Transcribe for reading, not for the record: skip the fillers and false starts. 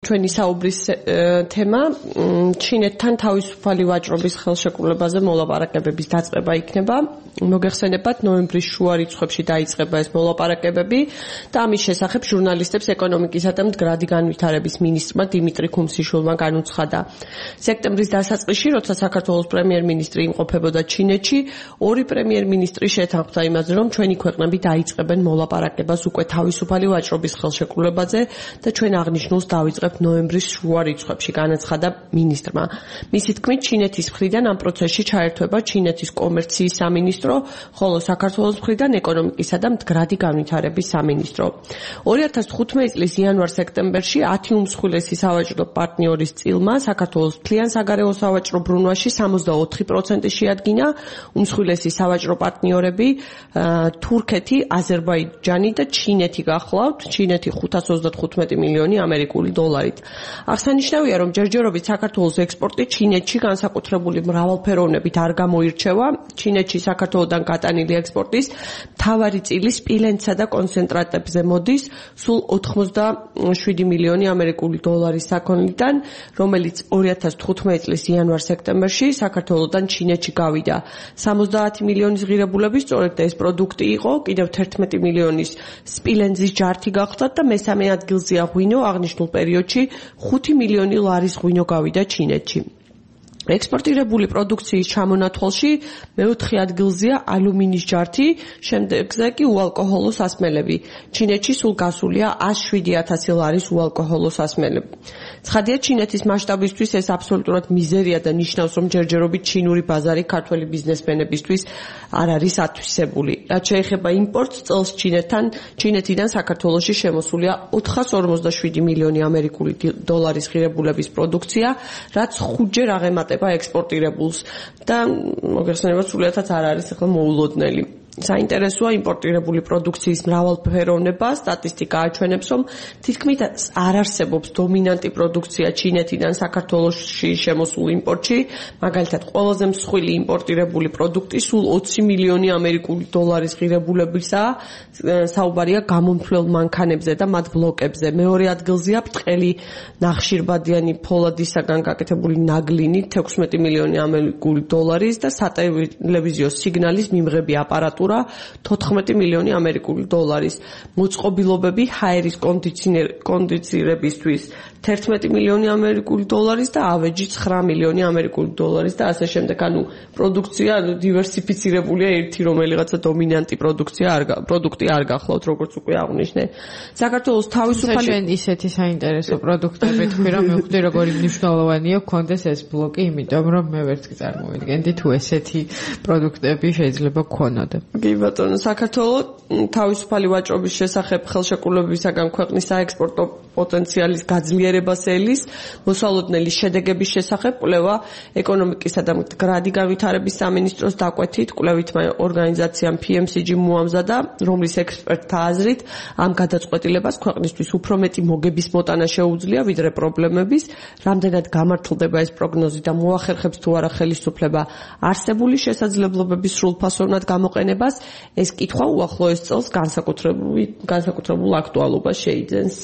ჩვენი საუბრის თემა ჩინეთთან თავისუფალი ვაჭრობის ხელშეკრულებაზე მოლაპარაკებების დაწყება იქნება. მოგეხსენებათ, ნოემბრის შუა რიცხვებში დაიწყება ეს მოლაპარაკებები და ამის შესახებ ჟურნალისტებს ეკონომიკისა და მდგრადი განვითარების მინისტრმა დიმიტრი ქუმსიშვილმა განუცხადა. სექტემბრის დასაწყისში, როცა საქართველოს პრემიერ-მინისტრი იმყოფებოდა ჩინეთში, ორი პრემიერ-მინისტრი შეთანხმდა იმაზე, რომ ჩვენი ქვეყნები დაიწყებენ მოლაპარაკებას უკვე თავისუფალი ვაჭრობის ხელშეკრულებაზე და ჩვენ აღნიშნულს დავიწყებთ ნოემბრის შუა რიცხვებში, განაცხადა მინისტრმა. მისი თქმით, ჩინეთის მხრიდან ამ პროცესში ჩაერთვება ჩინეთის კომერციის სამინისტრო, ხოლო საქართველოს მხრიდან ეკონომიკისა და მდგრადი განვითარების სამინისტრო. 2015 წლის იანვარ-სექტემბერში 10 უმსხვილესი სავაჭრო პარტნიორის წილმა საქართველოს მთლიან საგარეო სავაჭრო ბრუნვაში 64% შეადგინა. უმსხვილესი სავაჭრო პარტნიორები თურქეთი, აზერბაიჯანი და ჩინეთი გახლავთ. ჩინეთი 535 მილიონი ამერიკული დოლარით. აღსანიშნავია, რომ ჯერჯერობით საქართველოს ექსპორტი ჩინეთში განსაკუთრებული მრავალფეროვნებით არ გამოირჩევა. ჩინეთში საქართველოდან გატანილი ექსპორტის მთავარი წილი სპილენძსა და კონცენტრატებზე მოდის, სულ 87 მილიონი ამერიკული დოლარის საქონლიდან, რომელიც 2015 წლის იანვარ-სექტემბერში საქართველოდან ჩინეთში გავიდა. 70 მილიონის ღირებულების სწორედ ეს პროდუქტი იყო, კიდევ 11 მილიონის სპილენძის ჯართი გახლდათ და მესამე ადგილზეა ღვინო. აღნიშნულ პერიოდში 5 მილიონი ლარის ღვინო გავიდა ჩინეთში. ექსპორტირებული პროდუქციის ჩამონათვალში მეოთხე ადგილზეა ალუმინის ჯართი, შემდეგზე კი უალკოჰოლო სასმელები. ჩინეთში სულ გასულია 107,000 ლარის უალკოჰოლო სასმელები. ცხადია, ჩინეთის მასშტაბისთვის ეს აბსოლუტურად მიზერია და ნიშნავს, რომ ჯერჯერობით ჩინური ბაზარი ქართველი ბიზნესმენებისთვის არ არის ათვისებული. რაც შეეხება იმპორტს, წელს ჩინეთიდან საქართველოში შემოსულია 447 მილიონი ამერიკული დოლარის ღირებულების პროდუქცია, რაც 5-ჯერ აღემატება ექსპორტირებულს და მოგეხსენებათ, სულიადაც არ არის ახლა მოულოდნელი. საინტერესოა იმპორტირებული პროდუქციის მრავალფეროვნება. სტატისტიკა აჩვენებს, რომ თითქმის არ არსებობს დომინანტი პროდუქცია ჩინეთიდან საქართველოში შემოსულ იმპორტში. მაგალითად, ყველაზე მსხვილი იმპორტირებული პროდუქტი სულ 20 მილიონი ამერიკული დოლარის ღირებულებისაა. საუბარია გამომთვლელ მანქანებზე და მათ ბლოკებზე. მეორე ადგილზეა ბრტყელი ნახშირბადიანი ფოლადისაგან გაკეთებული ნაგლინი 16 მილიონი ამერიკული დოლარის და სატელევიზიო სიგნალის მიმღები აპარატურა 14 მილიონი ამერიკული დოლარის. მოწყობილობები ჰაერის კონდიცირებისთვის 11 მილიონი ამერიკული დოლარის და ავეჯი 9 მილიონი ამერიკული დოლარის და ასე შემდეგ. ანუ პროდუქცია დივერსიფიცირებულია, ერთი რომელიღაცა დომინანტი პროდუქტი არ გახლავთ, როგორც უკვე აღნიშნე. საქართველოს თავისუფალი ჩვენ ისეთი საინტერესო პროდუქტები თქვი, რომ მივხვდი როგორი მნიშვნელოვანია გქონდეს ეს ბლოკი, იმიტომ რომ მე ვერც წარმოვიდგენდი თუ ესეთი პროდუქტები შეიძლება გქონოდა. კი ბატონო, საქართველოს თავისუფალი ვაჭრობის შესახებ ხელშეკრულებისაგან ქვეყნის საექსპორტო პოტენციალის გაძლიერებას ელის, მოსალოდნელი შედეგების შესახებ კვლევა ეკონომიკისა და მდგრადი განვითარების სამინისტროს დაკვეთით კვლევითმა ორგანიზაციამ PMCG მოამზადა, რომლის ექსპერტთა აზრით ამ გადაწყვეტილებას ქვეყნისთვის უფრო მეტი მოგების მოტანა შეუძლია, ვიდრე პრობლემების. რამდენად გამართლდება ეს პროგნოზი და მოახერხებს თუ არა ხელისუფლება არსებული შესაძლებლობების სრულფასოვნად გამოყენებას, ეს კითხვა უახლოეს წელს განსაკუთრებულ აქტუალობას შეიძენს.